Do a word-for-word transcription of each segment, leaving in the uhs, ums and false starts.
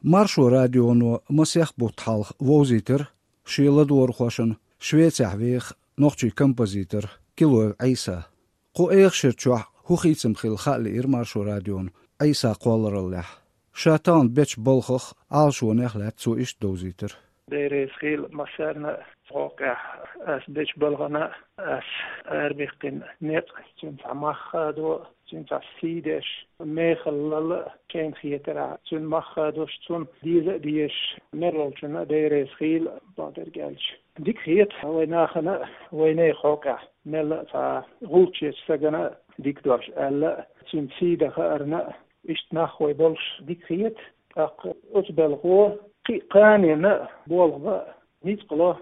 Маршо радионо масех бутт хьалха вовзийтира шен ладогӀархошна Швецехь веха нохчийн композитор Килоев Ӏийса. Кху эха шера чохь хӀун хийцам хилла хаа лиира Маршо радиона Ӏийсан кхоллараллехь. Ша тахана бечу балхах, Ӏалашонех лаьцна цо иштта довзийтира. Дера реза хийла массарна а, хӀокху тӀехь ас бечу балхана а, ас арабаьккхина некъ, цуьнан цхьа мах хадо, цуьнан цхьа сий деш, мехала лала а шайна хетарехь, цуьнан мах хадош, цунна деза а дезаш, мел волчунна а Дера реза хийла, бакъдерг аьлча. Дика хета вайн нахана а, вайна а хӀокху тӀехь мелла а цхьа гӀулч ечу стагана а дика дош аьлла а, цуьнан сий дан хаарна а, иштта нах вай болуш дика хета, тӀаккха оцу балхо кхин а кханенна а болх бан ницкъ ло.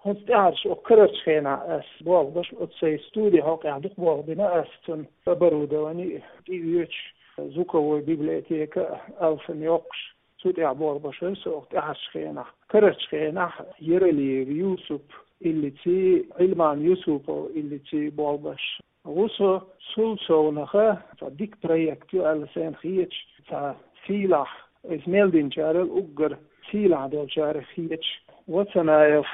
ХӀинца тӀаьхьарчу оцу карарчу хенахь ас болх беш, оцу сайн студи хьокъехь дукха болх бина ас, цунна оборудовани а тӀеоьцуш, звуковой библиотека а алсам йоккхуш, цу тӀехь болх беш вара со оцу тӀаьхьарчу хенахь. Карарчу хенахь Яралиев Юсуп иллиций, Ӏилман Юсупов иллиций болх беш ву со. Цул совнаха цхьа дика проект ю аьлла сайна хеташ, цхьа сийлахь, иза мел динчарел уггар сийлахь долчарех хеташ, Вацанаев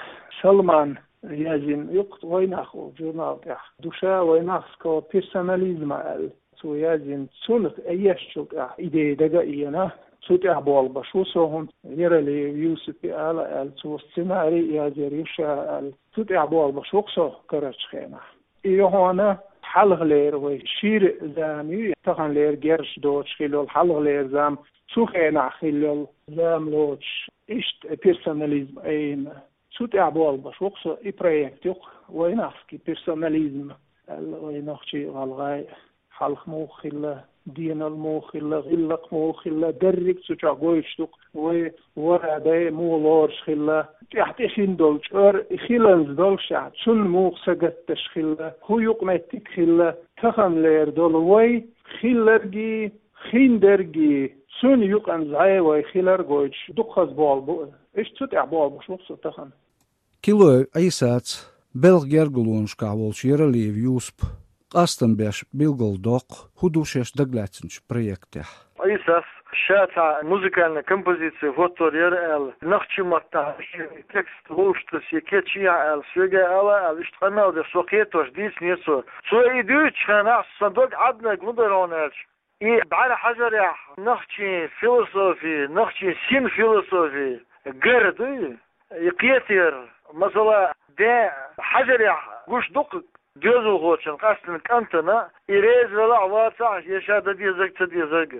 Салман язйина ю-кх «Вайнах» олу журнал тӀехь «Душа вайнахского персонализма» аьлла. Цо язйина, цунах ешначул тӀехь идея дага а еана, цу тӀехь болх беш ву со, хӀунда Яралиев Юсупе ала аьлла, цо сценарий а язйина ю ша аьлла. Цу тӀехь болх беш ву-кх со карарчу хенахь. И ю хьуна хьалхалера вай шира зама ю, таханлера герзаш доцуш хилла йолу хьалхалера зама, цу хенахь хилла йолу зама лоцуш, иштта персонализм айина. Цу тӀехь болх беш ву-кх со, и проект ю-кх «Вайнахский персонализм» аьлла, вай нохчий а, гӀалгӀай а, хьалха муха хилла, денал муха хилла, гӀиллакх муха хилла, дерриг а цу чохь гойтуш ду-кх, вай варадай муха лоруш хилла, тӀаьхьа тӀе хин долу чкъор и хиланза доллушехь, цунна муха сагатдеш хилла, хӀун юкъаметтиг хилла, таханлера долу вай, хилларгий, хиндерригий, цунна юкъанза вай хилар гойтуш дукха хаза болх бу. Иштта цу тӀехь болх беш ву-кх со тахана. Килоев Ӏийсаца, белхан гергалонашкахь волчу Яралиев Юсупа къастам беш билгалдоккху, хӀун ду шаьш дагалаьцначу проектехь. Ӏийсас ша цхьа музыкальный композици хӀоттор яра аьлла, нохчийн маттахь текст луштург я кечъяхьа аьлла, соьга ала аьлла, иштта къамел деш, со кхетош дийцинера цо. Цо и дуьйцучу хенахь сан дог Ӏаднарг хӀун дара хьуна аьлча, и бӀаьрахьажарехь нохчийн философи, нохчийн син философи гар дуй, и кхетар, масала, ден хьажарехь гуш ду-кх доьзалхочун къаьстина кӀантана, и реза велахь а, вацахь а, я ша дан дезарг, ца дезарг.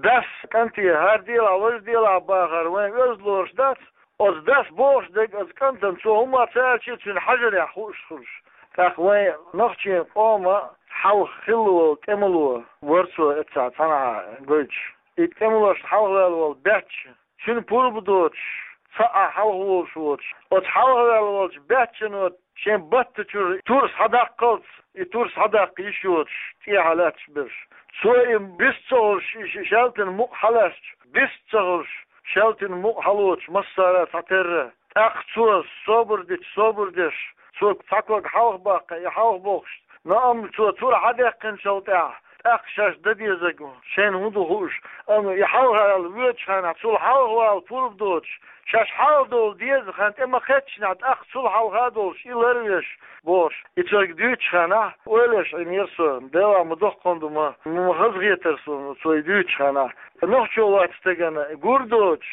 Дас кӀанте, хӀара делахь, важа делахь бахар вайн оьзда лоруш дац, оцу дас бохуш дерг оцу кӀантана цо хӀумма ца аьлча а, цуьнан хьажарехь хууш хуьлуш. ТӀаккха вайн нохчийн къоман хьалха хилла волу тӀемало вара цо эццахь цхьанхьа гойтуш. И тӀемалошна хьалхаваьлла волу баьчча, цуьнан пурба доцуш, цхьа а хьалха волуш воцуш, оцу хьалхаваьлла волчу баьччано шен баттачуьра турс хьадаккхалц, и турс хьадаккха йиш йоцуш, тӀехьа лаьтташ берш. Цо и бист ца хуьлуш, и шаьлтан мукъ хьалаьцча, бист ца хуьлуш, шаьлтан мукъ хьалоцуш массара а цхьатерра. ТӀаккха цо собар дича, собар деш, цо цхьа ког хьалха баккха, и хьалха бохуш, но амма цо тур хьадаьккхинчул тӀаьхьа, тӀаккха шаьш дан дезарг шайна хӀун ду хууш, амма и хьалха аьлла воьдучу хенахь, цул хьалха вала пурба доцуш, шаьш хьалха довла деза хан тӀе ма-кхеччинехь, тӀаккха цул хьалха а долуш, и ларвеш, бохуш. И цуьнга дуьйцучу хенахь, ойла еш Ӏийнера со, Делахь ма доккха ду ма, ма хазахетара суна цо и дуьйцучу хенахь. Нохчо вац стеган гур доцуш,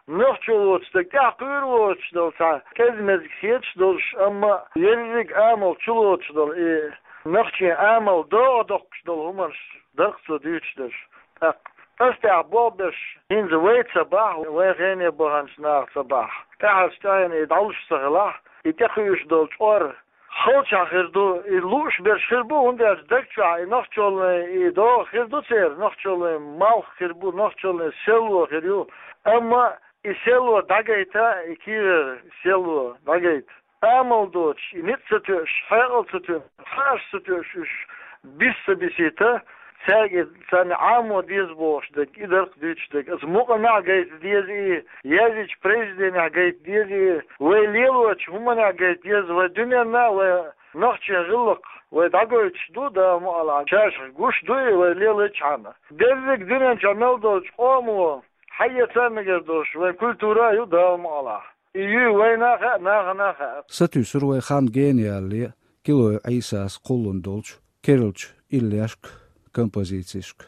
нохчо воцу стаг тӀаьхьакхуьур воцуш долу цхьа кӀезиг-мезиг хеташ долуш, амма ерриг амал чулоцуш долу и нохчийн амал догӀа доккхуш долу хӀуманаш дара-кх цо дуьйцуш дерш. ТӀаккха аса тӀехь болх беш, хӀинца вай ца бахь, вайн хене баханчу наха ца бахь, тӀаьхьарчу тӀаьхьенна и дӀалуш ца хилахь, и тӀекхуьуш долу чкъор халчахь хир ду, и лууш берш хир бу, хӀунда аьлча даг чохь и нохчаллин и догӀа хир ду церан, нохчаллин малх хир бу, нохчаллин селло хир ю. Амма и селло дӀагайта, и кийрара селло дӀагайта, амал доцуш, и ницкъ ца тоьуш, хьекъал ца тоьуш, хаарш ца тоьуш уьш, бис ца бисийта, цаьрга царна Ӏамо деза бохуш дерг, и дара-кх дуьйцуш дерг. Аса мукъанехь гайта деза и, язйинчу произведенехь гайта деза и, вай лелочу хӀуманехь гайта деза, вай дуьненна, вай нохчийн гӀиллакх вай дӀагойтуш ду, Дала мукъ лахь, шаьш гуш ду и вай лелачхьана. Дерриг дуьнен чохь мел долчу къомо Хьаэца мегар долуш вайн культура а ю Дала мукъалахь. И ю вайна а хаьа, нахана а хаьа. Сатуьйсура вай хан гениале Килой Ӏийсас кхуллун долчу керлачу иллешка, композицешка.